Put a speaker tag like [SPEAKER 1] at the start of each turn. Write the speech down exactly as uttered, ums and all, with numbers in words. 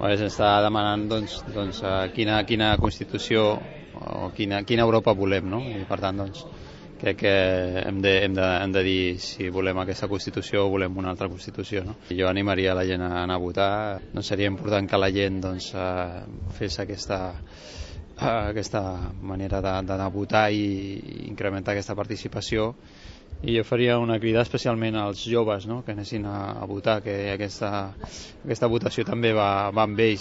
[SPEAKER 1] Se'ns està demanant doncs, doncs, quina, quina Constitució o quina, quina Europa volem, no? I per tant doncs, crec que hem de, hem, de, hem de dir si volem aquesta Constitució o volem una altra Constitució, no? Jo animaria la gent a anar a votar. No seria important que la gent doncs, fes aquesta, aquesta manera d'anar a votar i incrementar aquesta participació. I jo faria una crida especialment als joves, no? Que anessin a, a votar, que aquesta, aquesta votació també va, va amb ells.